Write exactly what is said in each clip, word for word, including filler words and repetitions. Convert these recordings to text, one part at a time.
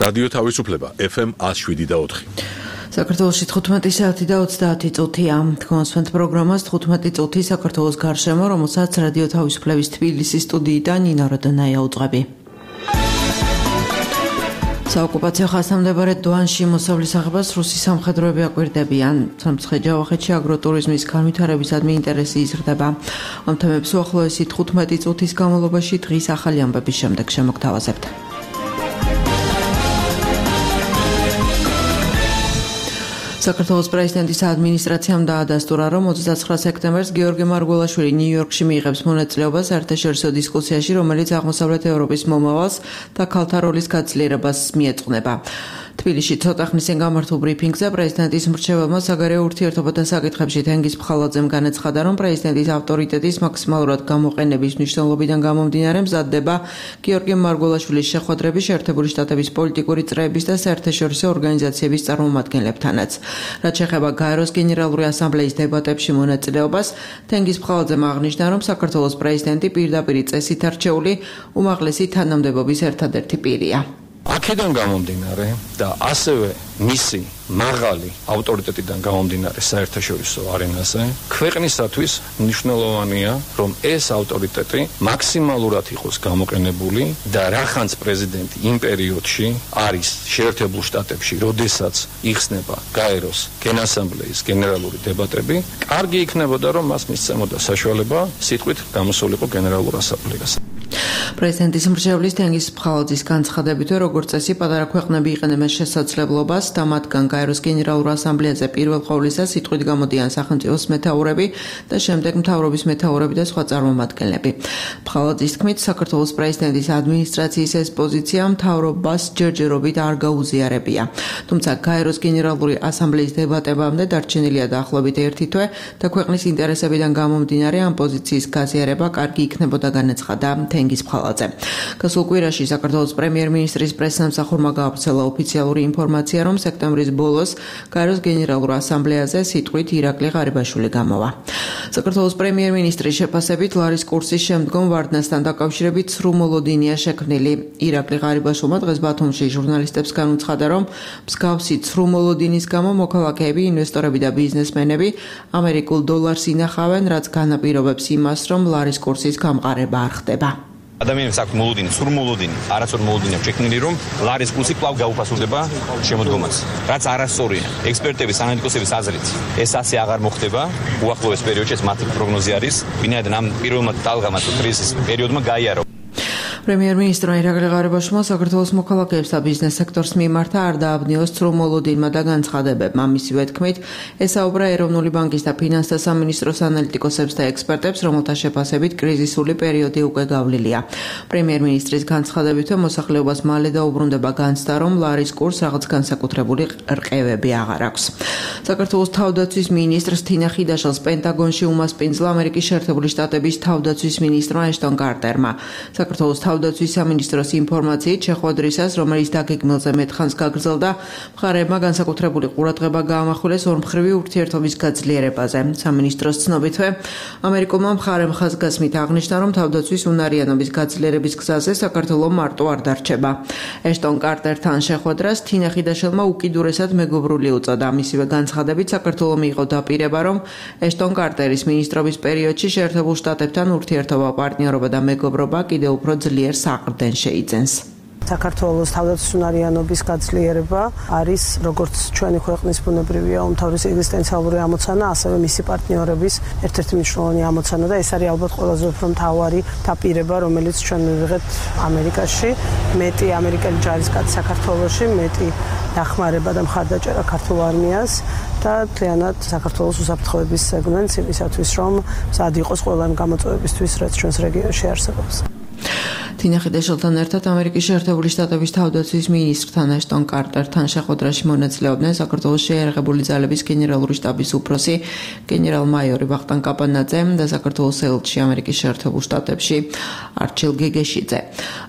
რადიო თავისუფლება ეფ ემ one oh seven და four. საქართველოში თხუთმეტი საათი და ოცდაათი წუთია. თქვენს პროგრამას თხუთმეტი წუთი საქართველოს გარშემო, რომელსაც რადიო თავისუფლების თბილისის სტუდიიდან ნინო როდონაია უძღვები. საოკუპაციო ხასიათმდებარე დვანში მოსავლის აღებას რუსი სამხედროები აკვირდებიან. სამცხე-ჯავახეთში აგროტურიზმის განვითარებისადმი ინტერესი იზრდება. ამ თემებს უახლოესი თხუთმეტი წუთის განმავლობაში დღის ახალი ამბების შემდეგ შემოგთავაზებთ. საქართველოს პრეზიდენტის ადმინისტრაციამ დაადასტურა, რომ ოცდაცხრა სექტემბერს გიორგი მარგველაშვილი ნიუ-იორკში მიიღებს მონაწილეობას საერთაშორისო დისკუსიაში, რომელიც აღმოსავლეთ ევროპის მომავალს და ქალთა როლის გაძლიერებას მიეძღვნება. თბილისში ცოტა ხნის წინ გამართულ ბრიფინგზე პრეზიდენტის მრჩეველმა საგარეო ურთიერთობათა საკითხებში თენგიზ ფხალაძემ განაცხადა, რომ პრეზიდენტის ავტორიტეტის მაქსიმალურად გამოყენების მნიშვნელობიდან გამომდინარე მზადდება გიორგი მარგველაშვილის შეხვედრები შეერთებული შტატების პოლიტიკური წრეების და საერთაშორისო ორგანიზაციების წარმომადგენლებთანაც. რაც შეეხება გაეროს გენერალური ასამბლეის დებატებში მონაწილეობას, თენგიზ ფხალაძემ აღნიშნა, რომ საქართველოს პრეზიდენტი პირდაპირი წესით არჩეული უმაღლესი თანამდებობის ერთადერთი პირია. აქედან გამომდინარე და ასევე მისი მაღალი ავტორიტეტიდან გამომდინარე საერთაშორისო არენაზე, ქვეყნისათვის მნიშვნელოვანია, რომ ეს ავტორიტეტი მაქსიმალურად იყოს გამოყენებული და რახანც პრეზიდენტი იმ პერიოდში არის შეერთებულ შტატებში, როდესაც იხსნება გაეროს გენასამბლეის გენერალური დებატები, კარგი იქნებოდა, რომ მას მისცემოდა საშუალება სიტყვით გამოსულიყო გენერალურ ასამბლეას. პრეზიდენტის მრჩევლის თენგიზ ფხალაძის განცხადებით, როგორც წესი, პატარა ქვეყნები იყენებენ შესაძლებლობას და მათგან გაეროს გენერალურ ასამბლეაზე პირველ ყოვლისა სიტყვით გამოდიან სახელმწიფოს მეთაურები და შემდეგ მთავრობის მეთაურები და სხვა წარმომადგენლები. ფხალაძის თქმით, საქართველოს პრეზიდენტის ადმინისტრაციის ეს პოზიცია მთავრობას ჯერჯერობით არ გაუზიარებია. თუმცა გაეროს გენერალური ასამბლეის დებატებამდე დარჩენილია დაახლოებით ერთი თვე და ქვეყნის ინტერესებიდან გამომდინარე ამ პოზიციის გაზიარება კარგი იქნებოდა, განაცხადა თენგიზ ფხალაძე. გასულ კვირაში საქართველოს პრემიერ-მინისტრის პრესსამსახურმა გაავრცელა ოფიციალური ინფორმაცია, რომ სექტემბრის ბოლოს გაეროს გენერალურ ასამბლეაზე სიტყვით ირაკლი ღარიბაშვილი გამოვა. საქართველოს პრემიერ-მინისტრის შეფასებით ლარის კურსის შემდგომ ვარდნასთან დაკავშირებით ცრუ მოლოდინია შექმნილი. ირაკლი ღარიბაშვილმა დღეს ბათუმში ჟურნალისტებს განუცხადა, რომ მსგავსი ცრუ მოლოდინის გამო მოქალაქეები, ინვესტორები და ბიზნესმენები ამერიკულ დოლარს ინახავენ, რაც განაპირობებს იმას, რომ ლარის კურსის გამყარება არ ხდება. ადამიანებს აქვს მოლოდინი, სრულ მოლოდინი, არასწორი მოლოდინი აქვს შექმნილი, რომ ლარის კურსი კვლავ გაუფასურდება შემოდგომას. რაც არასწორია. ექსპერტების, ანალიტიკოსების აზრით, ეს ასე აღარ მოხდება. უახლოეს პერიოდში ეს მათი პროგნოზი არის. ვინაიდან ამ პირველმა ტალღამ თუ კრიზის პერიოდმა გაიარო. პრემიერ-მინისტრმა ირაკლი ღარიბაშვილმა საქართველოს მოქალაქეებს და ბიზნეს სექტორს მიმართა არ დააბნიოს ცრუ მოლოდინმა და განცხადებებმა. მისივე თქმით, ესაუბრა ეროვნული ბანკის და ფინანსთა სამინისტროს ანალიტიკოსებს და ექსპერტებს, რომელთა შეფასებით კრიზისული პერიოდი უკვე გავლილია. პრემიერ-მინისტრის განცხადებით, მოსახლეობას მალე დაუბრუნდება განცდა, რომ ლარის კურსს რაღაც განსაკუთრებული რყევები აღარ აქვს. საქართველოს თავდაცვის მინისტრს თინა ხიდაშელს პენტაგონში უმასპინძლა ამერიკის შეერთებული შტატების თავდაცვის მინისტრმა ეშტონ კარტერმა. საქართველოს თავდაცვის სამინისტროს ინფორმაციით შეხვედრისას, რომელიც დაგეგმილზე მეთხანს გაგრძელდა, მხარეებმა განსაკუთრებული ყურადღება გაამახვილეს ორმხრივი ურთიერთობის გაძლიერებაზე. სამინისტროს ცნობითვე, ამერიკულმა მხარემ ხაზგასმით აღნიშნა, რომ თავდაცვის უნარიანობის გაძლიერების გზაზე საქართველო მარტო არ დარჩება. ეშტონ კარტერთან შეხვედრას თინა ხიდაშელმა უკიდურესად მეგობრული უწოდა. მისივე განცხადებით, საქართველო მიიღო დაპირება, რომ ეშტონ კარტერის მინისტრობის პერიოდში შეერთებულ შტატებთან ურთიერთობა, პარტნიორობა და მეგობრობა კიდევ უფრო ძლიერ საყრდენ შეიძენს. საქართველოს თავდაცვის უნარიანობის გაძლიერება არის როგორც ჩვენი ქვეყნის ბუნებრივია უმთავრესი ეგზისტენციალური ამოცანა, ასევე მისი პარტნიორების ერთ-ერთი მნიშვნელოვანი ამოცანა და ეს არის ალბათ ყველაზე უფრო მთავარი დაპირება, რომელიც ჩვენ მივიღეთ ამერიკაში. მეტი ამერიკელი ჯარისკაცი საქართველოში, მეტი დახმარება და მხარდაჭერა ქართულ არმიას და მთლიანად საქართველოს უსაფრთხოების სეგმენტს იმისათვის, რომ მზად იყოს ყველა იმ გამოწვევებისთვის, რაც ჩვენს რეგიონში არსებობს. თინა ხიდაშელთან ერთად ამერიკის შეერთებული შტატების თავდაცვის მინისტრთან ეშტონ კარტერთან შეხვედრაში მონაწილეობდნენ საქართველოს შეიარაღებული ძალების გენერალური შტაბის უფროსი გენერალ-მაიორი ვახტანგ კაპანაძე და საქართველოს ელჩი ამერიკის შეერთებულ შტატებში არჩილ გეგეშიძე.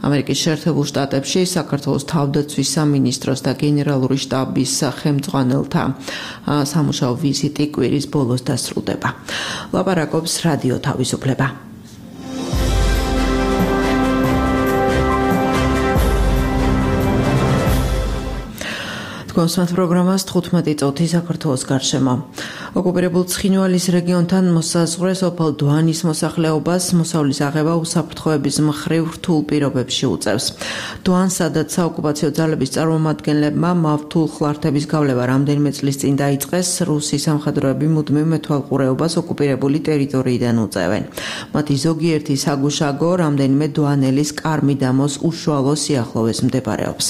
ამერიკის შეერთებულ შტატებში საქართველოს თავდაცვის სამინისტროს და გენერალური შტაბის ხელმძღვანელთა სამუშაო ვიზიტი კვირის ბოლოს დასრულდება. ლაპარაკობს რადიო თავისუფლება. თქვენს პროგრამას თხუთმეტი წუთი საქართველოს გარშემო. ოკუპირებულ ცხინვალის რეგიონთან მოსაზღვრე სოფელ დვანის მოსახლეობას მოსავლის აღება უსაფრთხოების მხრივ რთულ პირობებში უწევს. დვანს, სადაც საოკუპაციო ძალების წარმომადგენლებმა მავთულ ხლართების გავლება რამდენიმე წლის წინ დაიწყეს, რუსი სამხედროები მუდმივ მეთვალყურეობას ოკუპირებული ტერიტორიიდან უწევენ. მათი ზოგიერთი საგუშაგო რამდენიმე დვანელის კარმიდამოს უშუალო სიახლოვეს მდებარეობს.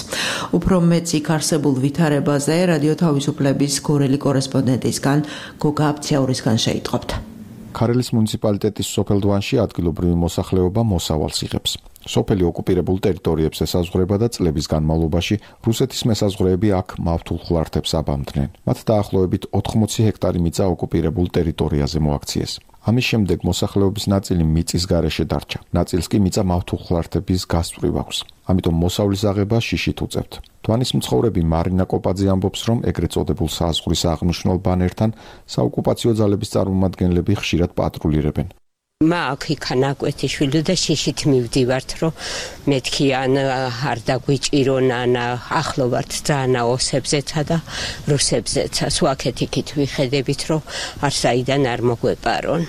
უფრო მეც იქ არსებულ ვითარებაზე რადიო თავისუფლების გორელი კორესპონდენტისგან გოგა აფციაურისგან შეიტყობთ. ქარელის მუნიციპალიტეტის სოფელ დვანში ადგილობრივი მოსახლეობა მოსავალს იღებს. სოფელი ოკუპირებულ ტერიტორიებს ესაზღვრება და წლების განმავლობაში რუსეთის მესაზღვრეები აქ მავთულ ხლართებს აბამდნენ. მათ დაახლოებით ოთხმოცი ჰექტარი მიწა ოკუპირებულ ტერიტორიაზე მოაქციეს. ამის შემდეგ მოსახლეობის ნაწილი მიწის გარეშე დარჩა. ნაწილს კი მიწა მავთულ ხლართების გასწვრივ აქვს. ამიტომ მოსავლის აღება შიშით უწევთ. დვანის მცხოვრები მარინა კოპაძე ამბობს, რომ ეგრეთ წოდებულ საზღვრის აღნიშნულ ბანერთან საოკუპაციო ძალების წარმომადგენლები ხშირად პატრულირებენ. მაქვს იქა ნაკვეთი შვილი და შიშით მივდივართ, რომ მეთქი ან არ დაგვიჭირონ, ან ახლო ვართ ძალიან ოსებზეცა და რუსებზეცა. სვაქეთ იქით ვიხედებით, რომ არ საიდან არ მოგვეპარონ.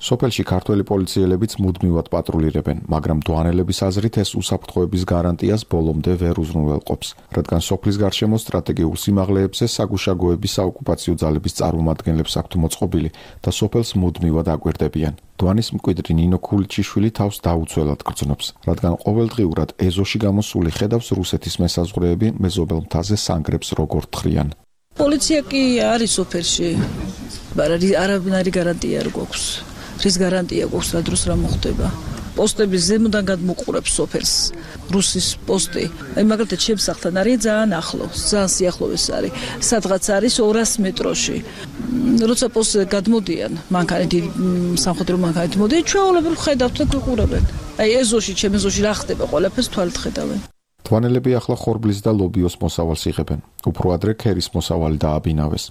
სოფელში ქართველი პოლიციელებიც მუდმივად პატრულირებენ, მაგრამ დვანელების აზრით ეს უსაფრთხოების გარანტიას ბოლომდე ვერ უზრუნველყოფს, რადგან სოფლის გარშემო სტრატეგიულ სიმაღლეებზე საგუშაგოები საოკუპაციო ძალების წარმომადგენლებს აქვთ მოწყობილი და სოფელს მუდმივად აკვირდებიან. დვანის მკვიდრი ნინო ქულიჩიშვილი თავს დაუცველად გრძნობს, რადგან ყოველდღიურად ეზოში გამოსული ხედავს რუსეთის მესაზღვრეები მეზობელ მთაზე სანგრებს როგორ თხრიან. პოლიცია კი არის სოფელში, არანაირი გარანტია არ გვაქვს. რის გარანტია გვაქვს რა დროს რა მოხდება. პოსტები ზემოდან გადმოყურებს სოფელს. რუსის პოსტი. აი მაგალითად შემსახთან არის ძალიან ახლო, ძალიან სიახლოვეს არის. სადღაც არის ორასი მეტროში. როცა პოსტზე გადმოდიან, მანქანით სამხედრო მანქანით მოდიან, ჩვეულებრივ ხედავთ და გვიყურებენ. აი ეზოში, ჩემ ეზოში რა ხდება, ყველაფერს თვალით ხედავენ. დვანელები ახლა ხორბლის და ლობიოს მოსავალს იღებენ. უფრო ადრე ქერის მოსავალი დააბინავეს.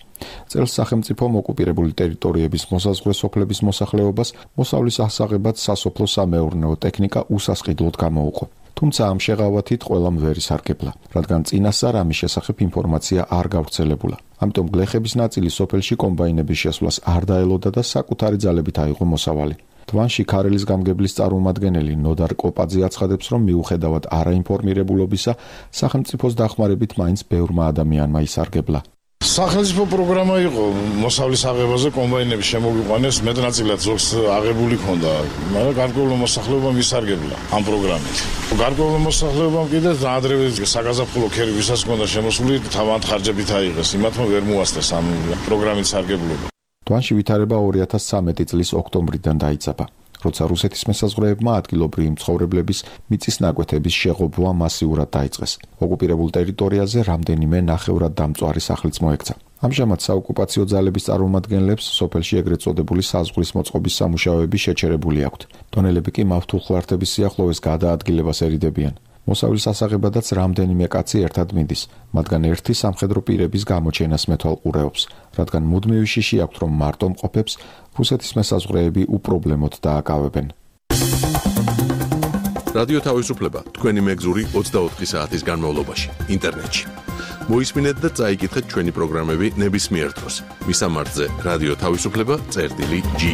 წელს სახელმწიფომ ოკუპირებული ტერიტორიების მოსაზღვრე სოფლების მოსახლეობას მოსავლის ასაღებად სასოფლო-სამეურნეო ტექნიკა უსასყიდლოდ გამოუყო. თუმცა ამ შეღავათით ყველამ ვერ ისარგებლა, რადგან წინასწარ ამის შესახებ ინფორმაცია არ გავრცელებულა. ამიტომ გლეხების ნაწილი სოფელში კომბაინების შესვლას არ დაელოდა და საკუთარი ძალებით აიღო მოსავალი. დვანში ქარელის გამგებლის წარმომადგენელი ნოდარ კოპაძე აცხადებს, რომ მიუხედავად არაინფორმირებულობისა, სახელმწიფოს დახმარებით მაინც ბევრმა ადამიანმა ისარგებლა. სახელმწიფო პროგრამა იყო მოსავლის აღებაზე, კომბაინების შემოგვიყვანეს, მეტნაწილად ზოგს აღებული ჰქონდა, მაგრამ გარკვეულმა მოსახლეობამ ისარგებლა ამ პროგრამით. გარკვეულმა მოსახლეობამ კიდევ ადრევე საგაზაფხულო ქერი ვისაც ჰქონდა შემოსული, თავად ხარჯებით აიღეს, იმათმა ვერ მოასწრეს ამ პროგრამით სარგებლობა. დვანში ვითარება ორი ათას ცხრამეტი წლის ოქტომბრიდან დაიწყება, როცა რუსეთის მესაზღვრეებმა ადგილობრივი მცხოვრებლების მიწის ნაკვეთების შეღობვა მასიურად დაიწყეს. ოკუპირებულ ტერიტორიაზე რამდენიმე ნახევრად დამწვარი სახლიც მოექცა. ამჟამად საოკუპაციო ძალების წარმომადგენლებს სოფელში ეგრეთ წოდებული საზღვრის მოწყობის სამუშაოები შეჩერებული აქვთ. დონელები კი მავთულ ხლართების სიახლოვეს გადაადგილებას ერიდებიან. მოსავლის ასაღებადაც რამდენიმე კაცი ერთად მიდის, მათგან ერთი სამხედრო პირების გამოჩენას მეთვალყურეობს, რადგან მუდმივი შიში აქვთ, რომ მარტო მყოფებს რუსეთის მესაზღვრეები უპრობლემოდ დააკავებენ. რადიო თავისუფლება თქვენი მეგზური ოცდაოთხი საათის განმავლობაში ინტერნეტში. მოისმინეთ და წაიკითხეთ ჩვენი პროგრამები ნებისმიერ დროს. მისამართზე რადიო თავისუფლება წერტილი ჯი.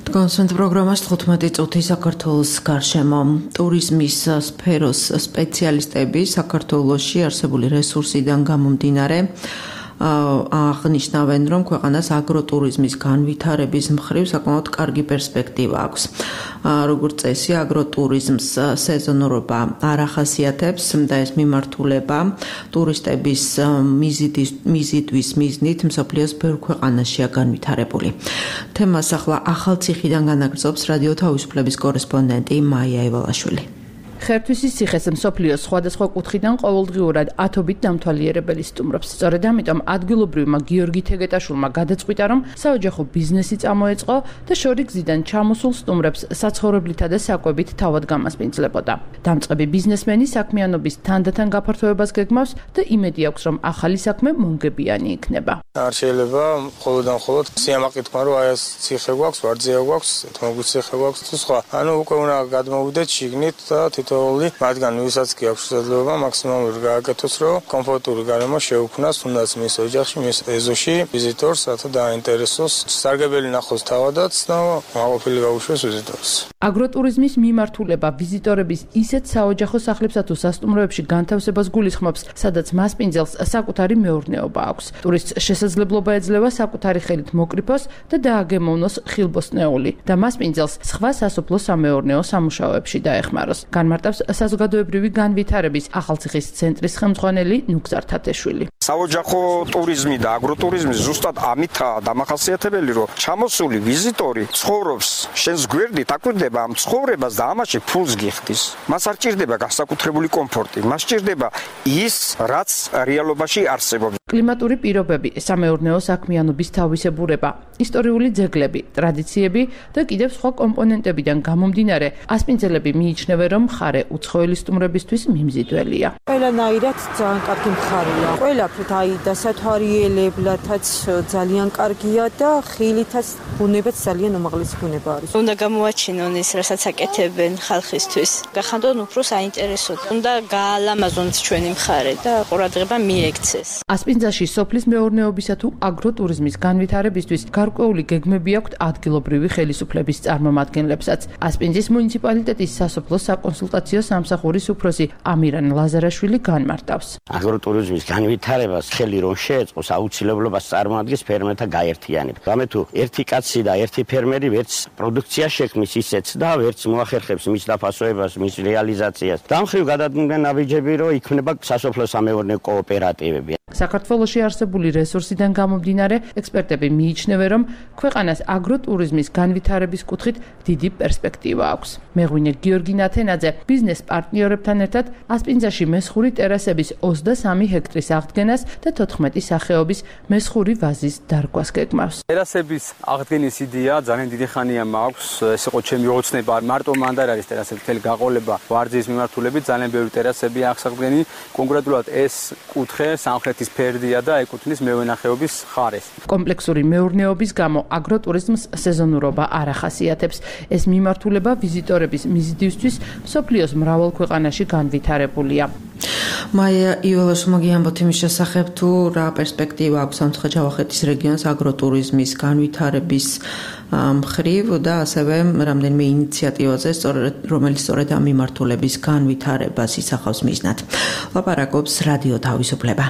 კონსენტ პროგრამას თხუთმეტი წუთი საქართველოს გარშემო. ტურიზმის სფეროს სპეციალისტები საქართველოში არსებული რესურსიდან გამომდინარე აღნიშნავენ, რომ ქვეყანას აგროტურიზმის განვითარების მხრივ საკმაოდ კარგი პერსპექტივა აქვს. როგორც წესი, აგროტურიზმს სეზონურობა არ ახასიათებს და ეს მიმართულება ტურისტების მიზიდვის მიზნით მსოფლიოს ბევრ ქვეყანაშია განვითარებული. თემას ახლა ახალციხიდან განაგრძობს რადიო თავისუფლების კორესპონდენტი მაია ევალაშვილი. ხერთვისის ციხეს მსოფლიოს სხვადასხვა კუთხიდან ყოველდღიურად ათობით დამთვალიერებელი სტუმრობს. სწორედ ამიტომ ადგილობრივმა გიორგი თეგეტაშვილმა გადაწყვიტა, რომ საოჯახო ბიზნესი წამოეწყო და შორი გზიდან ჩამოსულ სტუმრებს საცხოვრებლითა და საკვებით თავად გამასპინძლებოდა. დამწყები ბიზნესმენი საქმიანობის თანდათან გაფართოებას გეგმავს და იმედი აქვს, რომ ახალი საქმე მომგებიანი იქნება. არ შეიძლება მხოლოდ და მხოლოდ სიამაყე თქვა, რომ აი ეს ციხე გვაქვს, ვარძია გვაქვს, თმოგვი ციხე გვაქვს თუ სხვა. ანუ უკვე უნდა გადმოვიდეთ შიგნით და თითოეული მათგან ვისაც კი აქვს შესაძლებლობა მაქსიმალური გააკეთოს, რომ კომფორტული გარემო შეუქმნას თუნდაც მის ოჯახში, მის ეზოში ვიზიტორს, რათა დაინტერესოს, სარგებელი ნახოს თავადაც და მაყოფილი გაუშვეს ვიზიტორს. აგროტურიზმის მიმართულება ვიზიტორების ისეთ საოჯახო სახლებსა თუ სასტუმროებში განთავსებას გულისხმობს, სადაც მასპინძელს საკუთარი მეურნეობა აქვს. ტურისტს შესაძლებლობა ეძლევა საკუთარი ხელით მოკრიფოს და დააგემოვნოს ხილბოსტნეული და მასპინძელს სხვა სასოფლო სამეურნეო სამუშაოებში დაეხმაროს. განმარტავს საზოგადოებრივი განვითარების ახალციხის ცენტრის ხელმძღვანელი ნუგზარ თათეშვილი. საოჯახო ტურიზმი და აგროტურიზმი ზუსტად ამითაა დამახასიათებელი, რომ ჩამოსული ვიზიტორი ცხოვრობს შენს გვერდით, აკვირდება ამ ცხოვრებას და ამაში ფულს გიხდის. მას არ ჭირდება განსაკუთრებული კომფორტი, მას ჭირდება ის, რაც რეალობაში არსებობს. კლიმატური პირობები, სამეურნეო საქმიანობის თავისებურება, ისტორიული ძეგლები, ტრადიციები და კიდევ სხვა კომპონენტებიდან გამომდინარე, ასპინძელები მიიჩნევენ, რომ მხარე უცხოელი სტუმრებისთვის მიმზიდველია. ყველანაირად ძალიან კარგი მხარეა. ყველაფრით, აი დასათვალიერებლათაც ძალიან კარგია და ხილითაც ბუნებაც ძალიან უმაღლესი ბუნება არის. უნდა გამოაჩინონ ის, რასაც აკეთებენ ხალხისთვის. გახანდონ უფრო საინტერესოდ. უნდა გაალამაზონ ჩვენი მხარე და ყურადღება მიექცეს. ასპინძელში სოფლის მეურნეობისა თუ აგროტურიზმის განვითარებისთვის გარკვეული გეგმები აქვთ ადგილობრივი ხელისუფლების წარმომადგენლებსაც. ასპინძის მუნიციპალიტეტის სასოფლო საკონსულტაციო სამსახურის უფროსი ამირან ლაზარაშვილი განმარტავს. აგროტურიზმის განვითარებას ხელი რომ შეეწყოს, აუცილებლობას წარმოადგენს ფერმერთა გაერთიანება. რამე თუ ერთი კაცი და ერთი ფერმერი ვერც პროდუქცია შექმნის ისეც და ვერც მოახერხებს მის დაფასოებას, მის რეალიზაციას. დამხრივ გადადგმდნენ ნაბიჯები, რომ იქმნება სასოფლო სამეურნეო კოოპერატივები. საქართველოში არსებული რესურსიდან გამომდინარე, ექსპერტები მიიჩნევენ, რომ ქვეყანას აგროტურიზმის განვითარების კუთხით დიდი პერსპექტივა აქვს. მეღვინე გიორგი ნათენაძე ბიზნეს პარტნიორებთან ერთად ასპინძაში მესხური ტერასების ოცდასამი ჰექტრის აღდგენას და თოთხმეტი სახეობის მესხური ვაზის დარგვას გეგმავს. ტერასების აღდგენის იდეა ძალიან დიდი ხანია მაქვს. ეს იყო ჩემი ოცნება, მარტო მანდ არ არის ტერასების მთელი გაყოლება ვარძიის მიმართულებით, ძალიან ბევრი ტერასები აქვს აღდგენი. კონკრეტულად ეს კუთხე სამხრეთის ფერდია და ეკუთვნის მევენახეობის ხარეს. კომპლექსური მეურნეობის გამო აგროტურიზმს სეზონურობა არ ახასიათებს. ეს მიმართულება ვიზიტორების მიზიდისთვის მსოფლიოს მრავალ ქვეყანაში განვითარებულია. მაია იოლაშვილმა გიამბოთ იმის შესახებ, თუ რა პერსპექტივა აქვს სამცხე-ჯავახეთის რეგიონს აგროტურიზმის განვითარების მხრივ და ასევე რამდენიმე ინიციატივაზე, რომელიც სწორედ ამ მიმართულების განვითარებას ისახავს მიზნად. ლაპარაკობს რადიო თავისუფლება.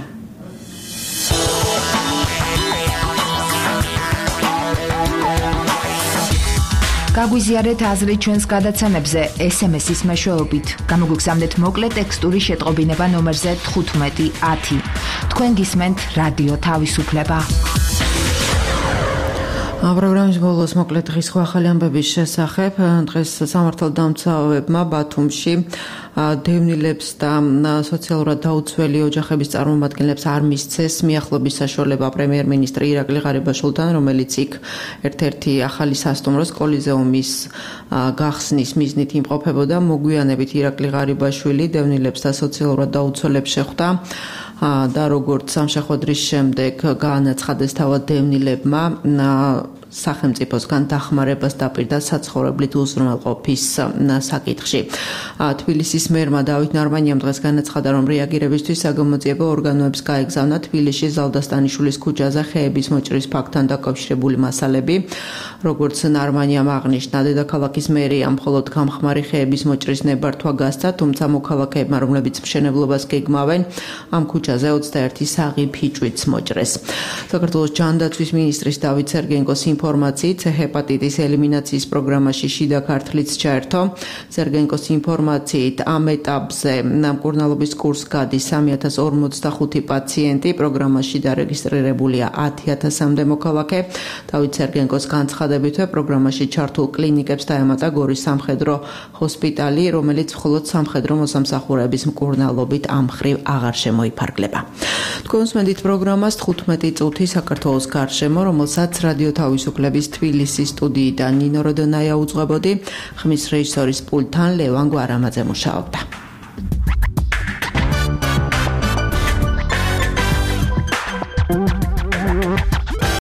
გაგვიზიარეთ აზრი ჩვენს გადაცემებზე ეს ემ ეს-ის მეშვეობით. გამოგვიგზავნეთ მოკლე ტექსტური შეტყობინება ნომერზე თხუთმეტი ათი. თქვენ გისმენთ რადიო თავისუფლება. პროგრამის ბოლოს მოკლედ დღის სხვა ახალი ამბების შესახებ. დღეს სამართალდამცავებმა ბათუმში დევნილებს და სოციალურად დაუცველი ოჯახების წარმომადგენლებს არ მისცეს მიახლობის საშუალება პრემიერ-მინისტრი ირაკლი ღარიბაშვილთან, რომელიც იქ ერთ-ერთი ახალი სასტუმროს კოლიზეუმის გახსნის მიზნით იმყოფებოდა. მოგვიანებით ირაკლი ღარიბაშვილი დევნილებს და სოციალურად დაუცველებს შეხვდა და როგორც ამ შეხვედრის შემდეგ გაანაცხადეს თავად დევნილებმა სახელმწიფოსგან დახმარებას დაპირდა საცხოვრებლით უზრუნველყოფის საკითხში. თბილისის მერმა დავით ნარმანიამ დღეს განაცხადა, რომ რეაგირებისთვის საგამოძიებო ორგანოებს გაეგზავნა თბილისში ზალდასტანიშვილის ქუჩაზე ხეების მოჭრის ფაქტთან დაკავშირებული მასალები. როგორც ნარმანიამ აღნიშნა, დედაქალაქის მერიამ მხოლოდ გამხმარი ხეების მოჭრის ნებართვა გასცა, თუმცა მოქალაქეებმა, რომლებიც მშენებლობას გეგმავენ, ამ ქუჩაზე ოცდაერთი საღი ფიჭვიც მოჭრეს. საქართველოს ჯანდაცვის მინისტრის დავით სერგენკოს ინფორმაციით ჰეპატიტის ელიმინაციის პროგრამაში შიდა ქართლიც ჩაერთო. სერგენკოს ინფორმაციით ამ ეტაპზე მკურნალობის კურსს გადის სამი ათას ორმოცდახუთი პაციენტი, პროგრამაში დარეგისტრირებულია ათი ათასამდე მოქალაქე. დავით სერგენკოს განცხადებითვე პროგრამაში ჩართულ კლინიკებს დაემატა გორის სამხედრო ჰოსპიტალი, რომელიც მხოლოდ სამხედრო მოსამსახურეების მკურნალობით ამ მხრივ აღარ შემოიფარგლება. თქვენ უსმენთ პროგრამას თხუთმეტი წუთი საქართველოს გარშემო, რომელსაც რადიო თავისუფლების თბილისის სტუდიიდან ნინო როდონაია უძღვებოდი, ხმის რეჟისორის პულტთან ლევან გვარამაძე მუშაობდა.